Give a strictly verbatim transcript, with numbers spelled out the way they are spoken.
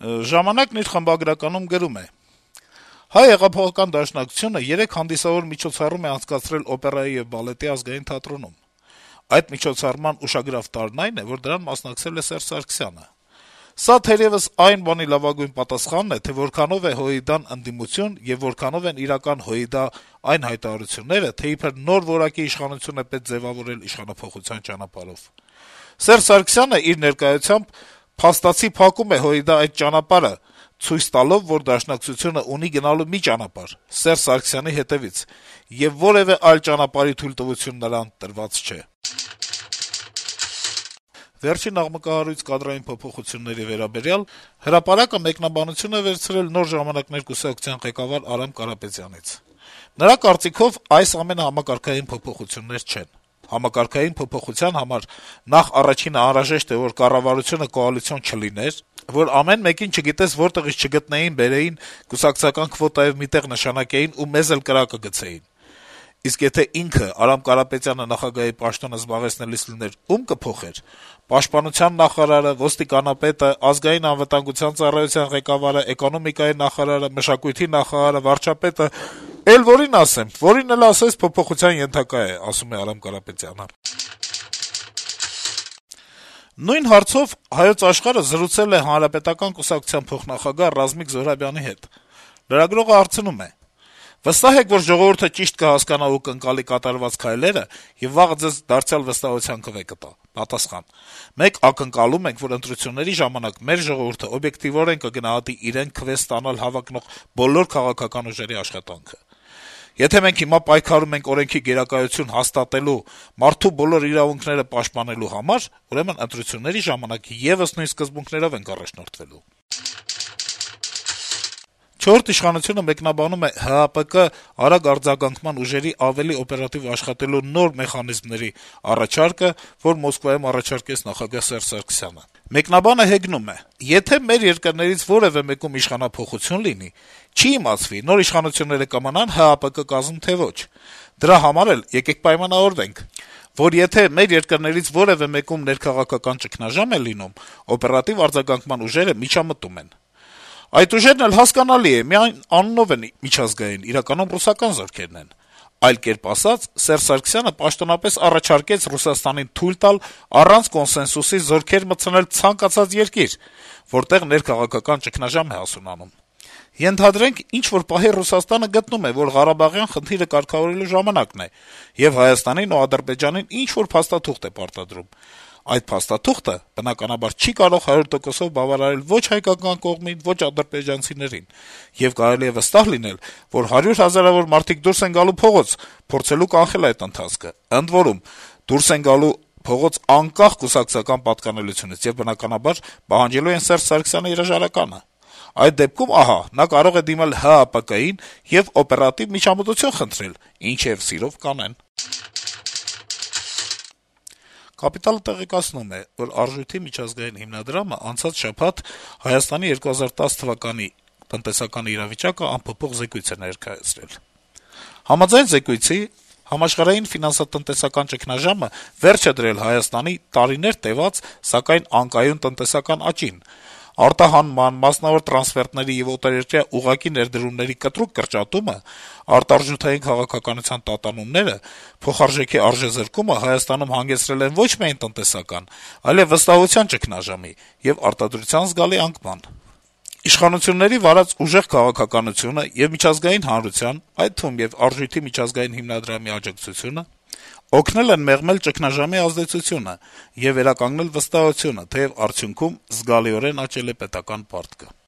Ժամանակն իր խմբագրականում գրում է. - «Հայ հեղափոխական դաշնակցությունը երեկ հանդիսավոր միջոցառում է անցկացրել օպերայի եւ բալետի ազգային թատրոնում: Այդ միջոցառման ուշագրավ տարրն այն է, որ դրան մասնակցել է Սերժ Սարգսյանը: Սա թերեւս այն բանի լավագույն պատասխանն է, թե որքանով է ՀՅԴ-ն ընդդիմություն եւ որքանով են իրական ՀՅԴ այն հայտարարությունները, թե իբր նոր որակի իշխանություն է պետք ձեւավորել իշխանափոխության ճանապարհով: Սերժ Սարգսյանը իր ներկայությամբ փաստացի փակում է ՀՅԴ այդ ճանապարհը, ցույց տալով, որ Դաշնակցությունը ունի գնալու մի ճանապարհ՝ Սերժ Սարգսյանի հետեւից, եւ որեւէ այլ ճանապարհի թույլտվություն նրան տրված չէ»: Վերջին աղմկահարույց կադրային փոփոխությունների վերաբերյալ «Հրապարակ»-ը մեկնաբանություն է վերցրել Նոր ժամանակներ կուսակցության ղեկավար Արամ Կարապետյանից: Նրա կարծիքով, այս ամենը համակարգային փոփոխություններ չեն: Համակարգային փոփոխության համար նախ առաջինը անհրաժեշտ է, որ կառավարությունը կոալիցիոն չլիներ, որ ամեն մեկին չգիտես որտեղից չգտնեին, բերեին, կուսակցական քվոտայով մի տեղ նշանակեին ու մեզ էլ կրակը գցեին: Իսկ եթե ինքը՝ Արամ Կարապետյանը, նախագահի պաշտոնը զբաղեցնելիս լիներ, ո՞ւմ կփոխեր: Պաշտպանության նախարարը, ոստիկանապետը, Ազգային անվտանգության ծառայության ղեկավարը, էկոնոմիկայի նախարարը, մշակույթի նախարարը, վարչապետը: Էլ որի՞ն ասեմ: Որին էլ ասես՝ փոփոխության ենթակա է», - ասում է Արամ Կարապետյանը: Նույն հարցով «Հայոց Աշխարհ»-ը զրուցել է Հանրապետական կուսակցության փոխնախագահ Ռազմիկ Զոհրաբյանի հետ: Լրագրողը հարցնում է. - «Վստահ եք, որ ժողովուրդը ճիշտ կհասկանա ու կընկալի կատարված քայլերը եւ վաղը ձեզ դարձյալ վստահության կվե կտա»: Պատասխան. - «Մենք ակնկալում ենք, որ ընտրությունների ժամանակ մեր ժողովուրդը օբյեկտիվորեն կգնահատի իրեն քվե ստանալ հավակնող բոլոր քաղաքական ուժերի աշխատանքը: Եթե մենք հիմա պայքարում ենք օրենքի գերակայություն հաստատելու, մարդու բոլոր իրավունքները պաշտպանելու համար, ուրեմն ընտրությունների ժամանակ եւս նույն սկզբունքներով ենք առաջնորդվելու»: «Չորրորդ ինքնիշխանություն»-ը մեկնաբանում է ՀԱՊԿ արագ արձագանքման ուժերի ավելի օպերատիվ աշխատելու նոր մեխանիզմների առաջարկը, որ Մոսկվայում առաջարկեց նախագահ Սերժ Սարգսյանը: Մեկնաբանը հեգնում է. - «Եթե մեր երկրներից որեւէ մեկում իշխանափոխություն լինի, չի իմացվի՝ նոր իշխանությունները կմնան ՀԱՊԿ կազմում, թե ոչ: Դրա համար էլ եկեք պայմանավորվենք, որ եթե մեր երկրներից որեւէ մեկում ներքաղաքական ճգնաժամ է լինում, օպերատիվ արձագանքման ուժերը միջամտում են: Այդ ուժերն էլ, հասկանալի է, միայն անունով են միջազգային, իրականում ռուսական զորքերն են: Այլ կերպ ասած, Սերժ Սարգսյանը պաշտոնապես առաջարկեց Ռուսաստանին թույլ տալ առանց կոնսենսուսի զորքեր մտցնել ցանկացած երկիր, որտեղ ներքաղաքական ճգնաժամ է հասունանում: Ենթադրենք, ինչ-որ պահի Ռուսաստանը գտնում է, որ Ղարաբաղյան խնդիրը կարգավորելու ժամանակն է, եւ Հայաստանին ու Ադրբեջանին ինչ-որ փաստաթուղթ է պարտադրում: Այդ փաստաթուղթը, բնականաբար, չի կարող հարյուր տոկոսով բավարարել ոչ հայկական կողմին, ոչ ադրբեջանցիներին, եւ կարելի է վստահ լինել, որ հարյուր հազարավոր մարդիկ դուրս են գալու փողոց` փորձելու կանխել այդ ընթացքը: Ընդ որում, դուրս են գալու փողոց անկախ կուսակցական պատկանելությունից եւ, բնականաբար, պահանջելու են Սերժ Սարգսյանի հրաժարականը: Այդ դեպքում, ահա, նա կարող է դիմել ՀԱՊԿ-ին եւ օպերատիվ միջամտություն խնդրել, ինչը սիրով կանեն»: «Կապիտալ»-ը տեղեկացնում է, որ Արժույթի միջազգային հիմնադրամը անցած շաբաթ Հայաստանի երկու հազար տասը թվականի տնտեսական իրավիճակը անփոփոխ զեկույց է ներկայացրել: Համաձայն զեկույցի, համաշխարհային ֆինանսատնտեսական ճգնաժամը վերջ է դրել Հայաստանի տարիներ տեւած, սակայն անկայուն տնտեսական աճին: Արտահանման, մասնավոր տրանսֆերտների եւ օտարերկրյա ուղղակի ներդրումների կտրուկ կրճատումը, արտարժութային քաղաքականության տատանումները, փոխարժեքի արժեզրկումը Հայաստանում հանգեցրել են ոչ միայն տնտեսական, այլեւ վստահության ճգնաժամի եւ արտադրության զգալի անկման: Իշխանությունների վարած ուժեղ քաղաքականությունը եւ միջազգային հանրության, այդ թվում եւ Արժույթի միջազգային հիմնադրամի աջակցությունը օգնել են մեղմել ճգնաժամի ազդեցությունը եւ վերականգնել վստահությունը, թեեւ արդյունքում զգալիորեն աճել է պետական պարտքը»: